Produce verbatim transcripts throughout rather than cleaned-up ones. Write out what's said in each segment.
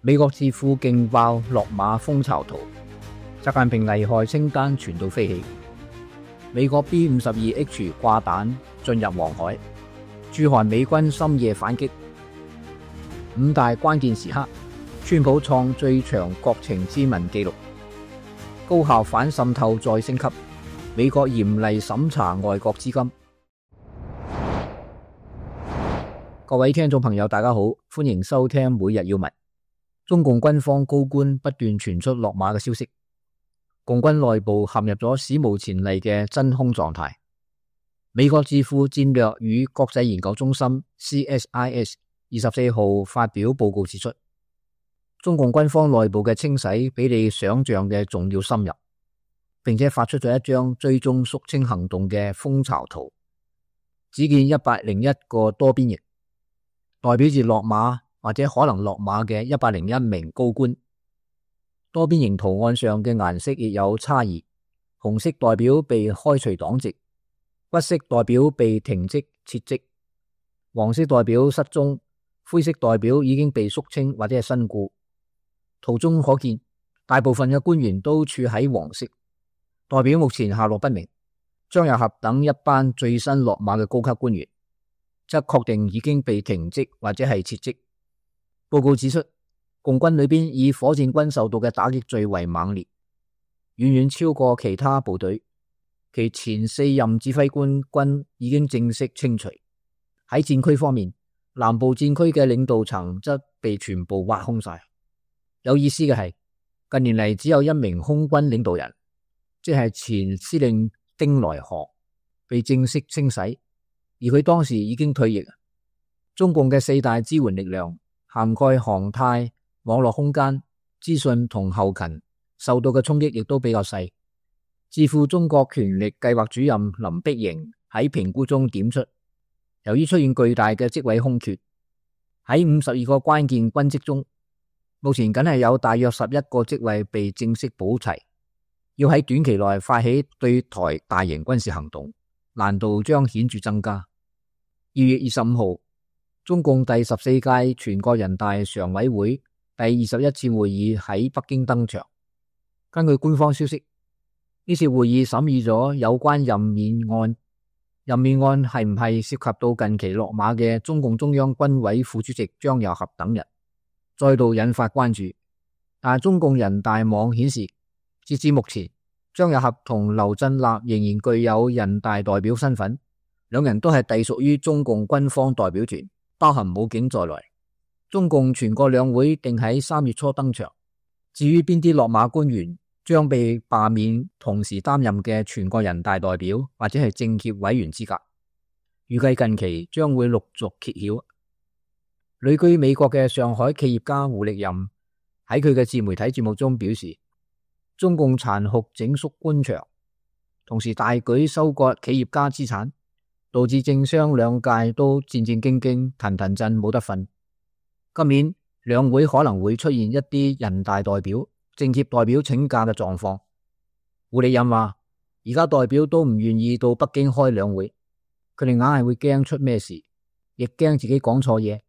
美國智庫勁爆落馬蜂巢圖，習近平危害清單傳到飛起。美國 B 五十二 H 掛彈進入黃海，駐韓美軍深夜反擊。五大關鍵時刻，川普創最長國情咨文紀錄。高校反滲透再升級，美國嚴厲審查外國資金。各位聽眾朋友大家好，歡迎收聽每日要聞。中共軍方高官不斷傳出落馬嘅消息，共軍內部陷入咗史無前例嘅真空狀態。美國智庫戰略與國際研究中心 C S I S 二十四號發表報告指出，中共軍方內部嘅清洗比你想象嘅仲要深入，並且發出咗一張追蹤肅清行動嘅蜂巢圖，只見一百零一個多邊形，代表住落馬或者可能落馬嘅一百零一名高官。多邊形圖案上嘅顏色亦有差異，紅色代表被開除黨籍，橘色代表被停職撤職，黃色代表失蹤，灰色代表已經被肅清或者係身故。圖中可見，大部分嘅官員都處喺黃色，代表目前下落不明。張又俠等一班最新落馬嘅高級官員，則確定已經被停職或者係撤職。報告指出，共軍裏邊以火箭軍受到嘅打擊最為猛烈，遠遠超過其他部隊。其前四任指揮官軍已經正式清除。喺戰區方面，南部戰區嘅領導層則被全部挖空晒。有意思嘅係，近年嚟只有一名空軍領導人，即係前司令丁來賀被正式清洗，而佢當時已經退役。中共嘅四大支援力量涵蓋航太、網絡空間、資訊同後勤，受到嘅衝擊亦都比較細。智庫中國權力計劃主任林碧瑩喺評估中點出，由於出現巨大嘅職位空缺，喺五十二個關鍵軍職中，目前僅係有大約十一個職位被正式補齊，要喺短期內發起對台大型軍事行動，難度將顯著增加。二月二十五號，中共第十四屆全國人大常委會第二十一次會議喺北京登場。根據官方消息，呢次會議審議咗有關任免案。任免案係唔係涉及到近期落馬嘅中共中央軍委副主席張又俠等人，再度引發關注。但中共人大網顯示，截至目前，張又俠同劉振立仍然具有人大代表身份，兩人都係隸屬於中共軍方代表團，包含武警在內。中共全國兩會定喺三月初登場。至於邊啲落馬官員將被罷免，同時擔任嘅全國人大代表或者係政協委員資格，預計近期將會陸續揭曉。旅居美國嘅上海企業家胡力任喺佢嘅自媒體節目中表示，中共殘酷整肅官場，同時大舉收割企業家資產，導致政商兩界都戰戰兢兢、騰騰震冇得瞓。今年兩會可能會出現一啲人大代表、政協代表請假嘅狀況。胡力任話，而家代表都唔願意到北京開兩會，佢哋硬係會驚出咩事，亦驚自己講錯嘢。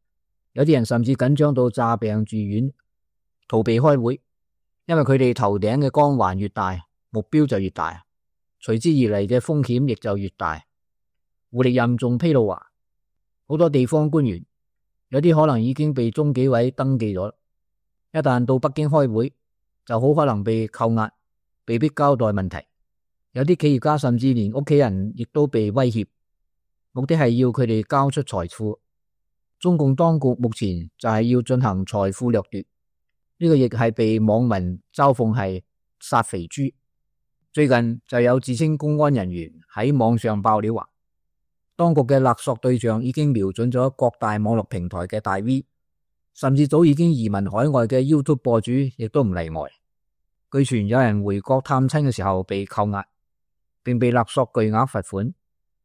有啲人甚至緊張到詐病住院，逃避開會，因為佢哋頭頂嘅光環越大，目標就越大，隨之而嚟嘅風險亦就越大。胡力任仲披露話，好多地方官員有啲可能已經被中紀委登記咗，一旦到北京開會，就好可能被扣押，被逼交代問題。有啲企業家甚至連屋企人亦都被威脅，目的係要佢哋交出財富。中共當局目前就係要進行財富掠奪，呢個亦係被網民嘲諷係殺肥豬。最近就有自稱公安人員喺網上爆料話，當局嘅勒索對象已經瞄準咗各大網絡平台嘅大 V， 甚至早已經移民海外嘅 YouTube 博主亦都唔例外。據傳有人回國探親嘅時候被扣押，並被勒索巨額罰款，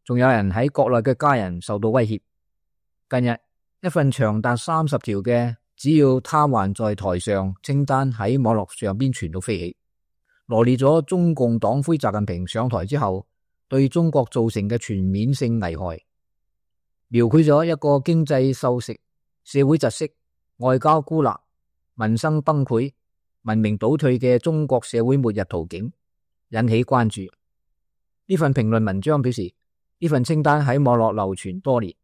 仲有人喺國內嘅家人受到威脅。近日，一份長達三十條嘅只要他還在台上清單喺網絡上邊傳到飛起，羅列咗中共黨魁習近平上台之後對中國造成嘅全面性危害，描繪咗一個經濟瘦食、社會窒息、外交孤立、民生崩潰、文明倒退嘅中國社會末日圖景，引起關注。呢份評論文章表示，呢份清單喺網絡流傳多年，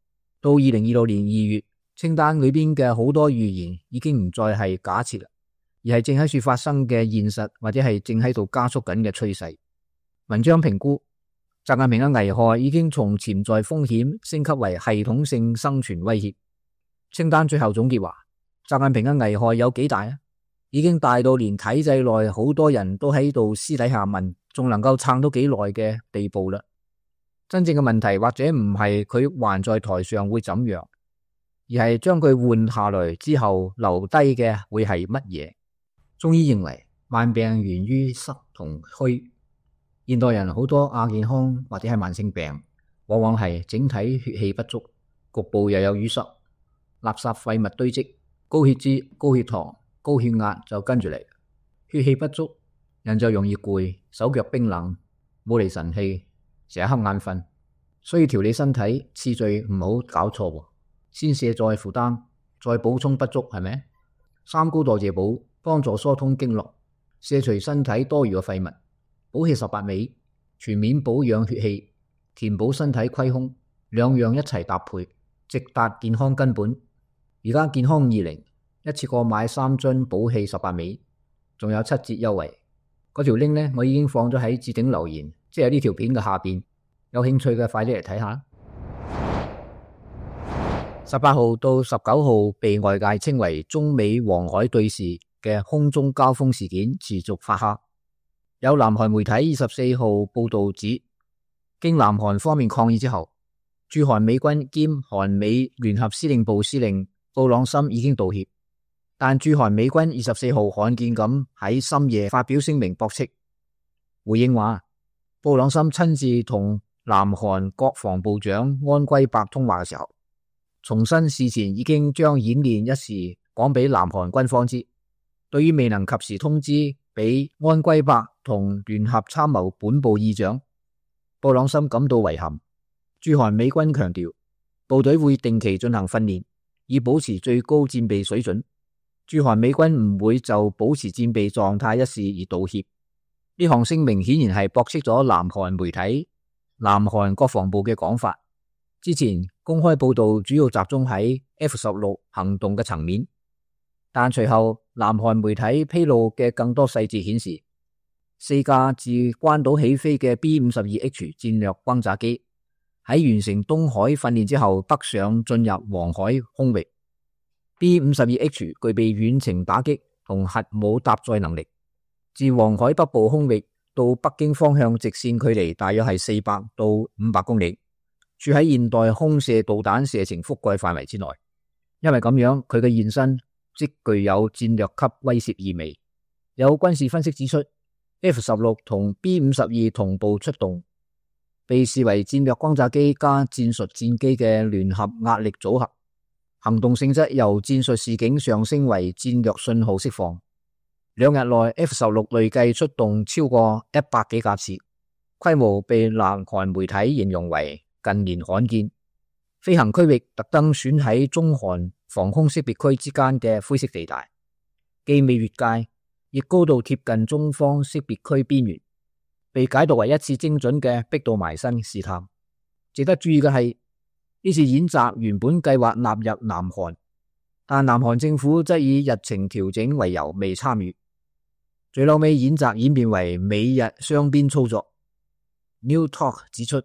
到二零二六年二月，清單裏邊嘅好多預言已經唔再係假設啦，而係正喺處發生嘅現實，或者係正喺度加速緊嘅趨勢。文章評估，習近平嘅危害已經從潛在風險升級為系統性生存威脅。清單最後總結話，習近平嘅危害有幾大啊？已經大到連體制內好多人都喺度私底下問，仲能夠撐到幾耐嘅地步啦。真正嘅問題或者唔係佢還在台上會怎樣，而係將佢換下來之後留低嘅會係乜嘢？中醫認為，萬病源於濕同虛。現代人好多亞健康或者係慢性病，往往係整體血氣不足，局部又有淤塞，垃圾廢物堆積，高血脂、高血糖、高血壓就跟住嚟。血氣不足，人就容易攰，手腳冰冷，冇嚟神氣，成日瞌眼瞓。所以調理身體次序唔好搞錯，先瀉再負擔，再補充不足，係咪？三高代謝補幫助疏通經絡，瀉除身體多餘嘅廢物。補氣十八味，全面保養血氣，填補身體虧空，兩樣一齊搭配，直達健康根本。而家健康二零一次過買三樽補氣十八味，仲有七折優惠。嗰條 link 呢，我已經放咗喺置頂留言，即係呢條片嘅下邊。有興趣嘅快啲嚟睇下。十八號到十九號被外界稱為中美黃海對峙嘅空中交鋒事件持續發酵。有南韓媒體二十四號報道指，經南韓方面抗議之後，駐韓美軍兼韓美聯合司令部司令布朗森已經道歉，但駐韓美軍二十四號罕見咁喺深夜發表聲明駁斥，回應話布朗森親自同南韓國防部長安圭伯通話嘅時候，重申事前已經將演練一事講俾南韓軍方知。對於未能及時通知俾安圭伯同聯合參謀本部議長，布朗森感到遺憾。駐韓美軍強調，部隊會定期進行訓練，以保持最高戰備水準。駐韓美軍唔會就保持戰備狀態一事而道歉。呢項聲明顯然係駁斥咗南韓媒體、南韓國防部嘅講法。之前公開報道主要集中喺 F 十六 行動嘅層面，但隨後南韓媒體披露嘅更多細節顯示，四架自關島起飛嘅 B 五十二 H 戰略轟炸機喺完成東海訓練之後北上進入黃海空域。B 五十二 H 具備遠程打擊同核武搭載能力，自黃海北部空域到北京方向直線距離大約係四百到五百公里，處喺現代空射導彈射程覆蓋範圍之內。因為咁樣，佢嘅現身即具有戰略級威懾意味。有軍事分析指出， F 十六 同 B 五十二 同步出動，被視為戰略轟炸機加戰術戰機嘅聯合壓力組合，行動性質由戰術示警上升為戰略信號釋放。兩日內 F 十六 累計出動超過一百幾架次，規模被南韓媒體形容為近年罕見。飛行區域特登選喺中韓防空識別區之間嘅灰色地帶，既未越界，亦高度貼近中方識別區邊緣，被解讀為一次精準嘅逼到埋身試探。值得注意嘅係，呢次演習原本計劃納入南韓，但南韓政府則以日程調整為由未參與。最後尾演習演變為美日雙邊操作。New Talk 指出，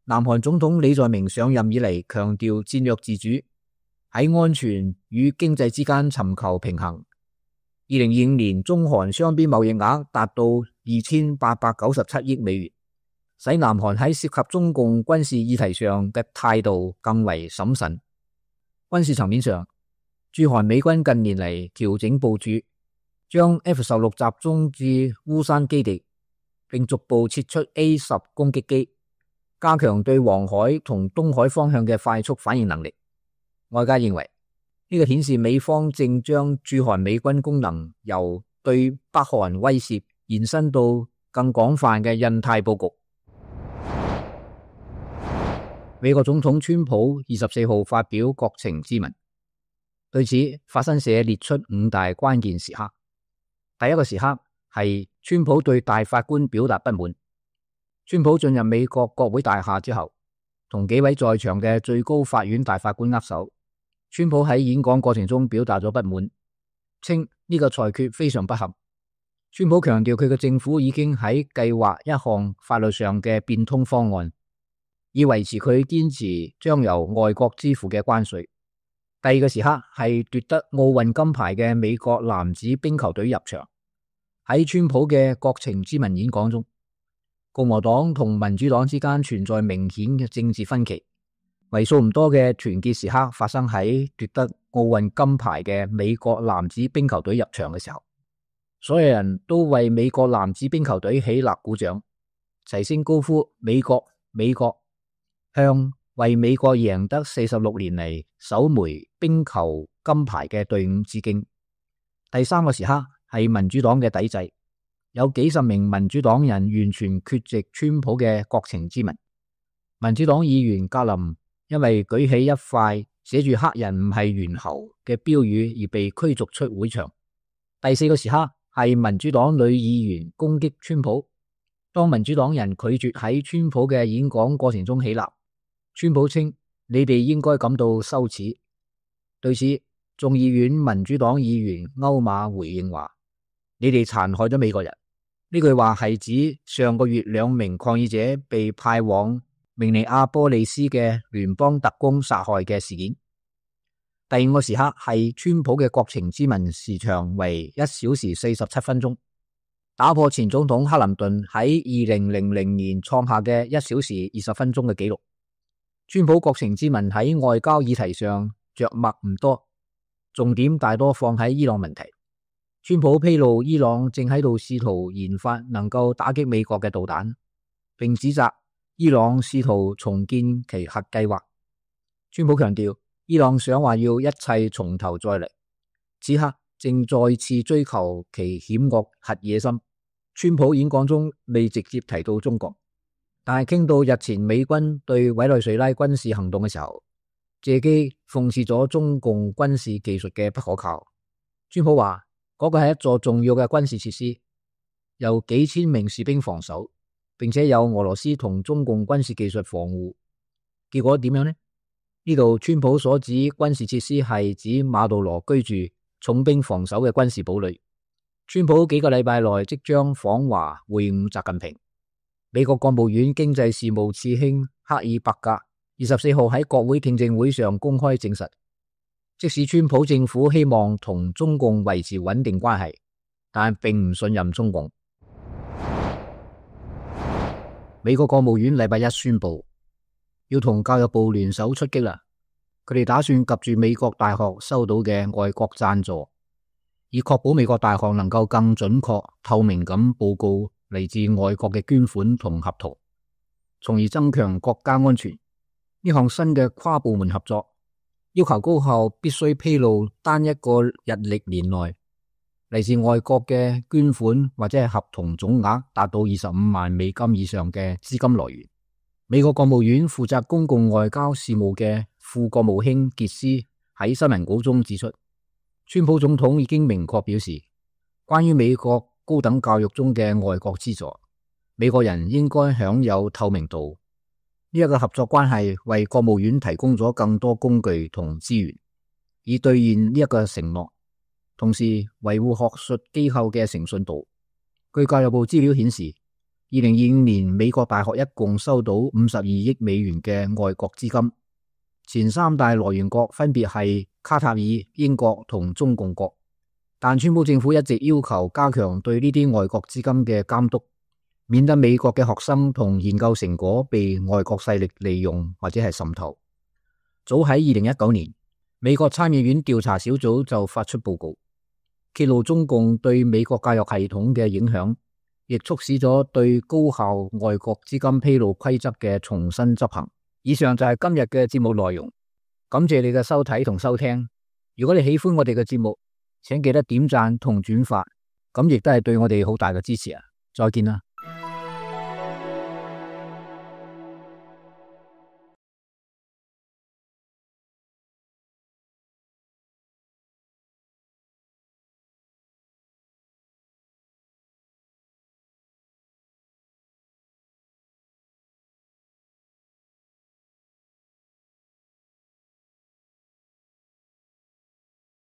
南韓總統李在明上任以嚟強調戰略自主，喺安全與經濟之間尋求平衡。二零二五年中韓雙邊貿易額達到二千八百九十七億美元，使南韓喺涉及中共軍事議題上嘅態度更為審慎。軍事層面上，駐韓美軍近年嚟調整部署，將 F 十六 集中至烏山基地，並逐步撤出 A 十 攻擊機，加強對黃海同東海方向嘅快速反應能力。外界認為呢個顯示美方正將駐韓美軍功能由對北韓威懾延伸到更廣泛嘅印太佈局。美國總統川普二十四號發表國情咨文，對此，法新社列出五大關鍵時刻。第一個時刻係川普對大法官表達不滿。川普進入美國國會大廈之後，同幾位在場嘅最高法院大法官握手。川普喺演講過程中表達咗不滿，稱呢個裁決非常不合。川普強調佢嘅政府已經喺計劃一項法律上嘅變通方案，以維持佢堅持將由外國支付嘅關稅。第二個時刻係奪得奧運金牌嘅美國男子冰球隊入場。喺川普嘅國情咨文演講中，共和黨同民主黨之間存在明顯嘅政治分歧。為數唔多嘅團結時刻發生喺奪得奧運金牌嘅美國男子冰球隊入場嘅時候，所有人都為美國男子冰球隊起立鼓掌，齊聲高呼美國美國，向為美國贏得四十六年嚟首枚冰球金牌嘅隊伍致敬。第三個時刻係民主黨嘅抵制，有幾十名民主黨人完全缺席川普嘅國情咨文。民主黨議員格林因為舉起一塊寫住黑人唔係猿猴嘅標語而被驅逐出會場。第四個時刻係民主黨女議員攻擊川普，當民主黨人拒絕喺川普嘅演講過程中起立，川普稱你哋應該感到羞恥。對此，眾議院民主黨議員歐馬回應話：你哋殘害咗美國人。呢句話係指上個月兩名抗議者被派往明尼阿波利斯嘅聯邦特工殺害嘅事件。第五個時刻係川普嘅國情咨文時長為一小時四十七分鐘，打破前總統克林頓喺二零零零年創下嘅一小時二十分鐘嘅紀錄。川普國情咨文喺外交議題上着墨唔多，重點大多放喺伊朗問題。川普披露伊朗正喺度試圖研發能夠打擊美國嘅導彈，並指責伊朗試圖重建其核計劃。川普強調，伊朗想話要一切從頭再嚟，此刻正再次追求其險惡核野心。川普演講中未直接提到中國，但係傾到日前美軍對委內瑞拉軍事行動嘅時候，借機諷刺咗中共軍事技術嘅不可靠。川普話嗰個係一座重要嘅軍事設施，由幾千名士兵防守，並且有俄羅斯同中共軍事技術防護。結果點樣呢？呢度川普所指軍事設施係指馬杜羅居住、重兵防守嘅軍事堡壘。川普幾個禮拜內即將訪華會晤習近平。美國國務院經濟事務次卿克爾伯格二十四號喺國會聽證會上公開證實，即使川普政府希望同中共維持穩定關係，但並唔信任中共。美國國務院禮拜一宣布，要同教育部聯手出擊啦！佢哋打算及住美國大學收到嘅外國贊助，以確保美國大學能夠更準確、透明咁報告嚟自外國嘅捐款同合同，從而增強國家安全。呢項新嘅跨部門合作，要求高校必須披露單一個日曆年內嚟自外國嘅捐款或者係合同總額達到二十五萬美金以上嘅資金來源。美國國務院負責公共外交事務嘅副國務卿傑斯喺新聞稿中指出，川普總統已經明確表示，關於美國高等教育中嘅外國資助，美國人應該享有透明度。呢一個合作關係為國務院提供咗更多工具同資源，以兌現呢一個承諾，同時維護學術機構嘅誠信度。據教育部資料顯示，二零二五年美國大學一共收到五十二億美元嘅外國資金，前三大來源國分別係卡塔爾、英國同中共國。但川普政府一直要求加強對呢啲外國資金嘅監督，免得美國嘅學生同研究成果被外國勢力利用或者係滲透。早喺二零一九年，美國參議院調查小組就發出報告，揭露中共對美國教育系統嘅影響，亦促使咗對高校外國資金披露規則嘅重新執行。以上就係今日嘅節目內容，感謝你嘅收睇同收聽。如果你喜歡我哋嘅節目，請記得點讚同轉發，咁亦都係對我哋好大嘅支持啊！再見啦。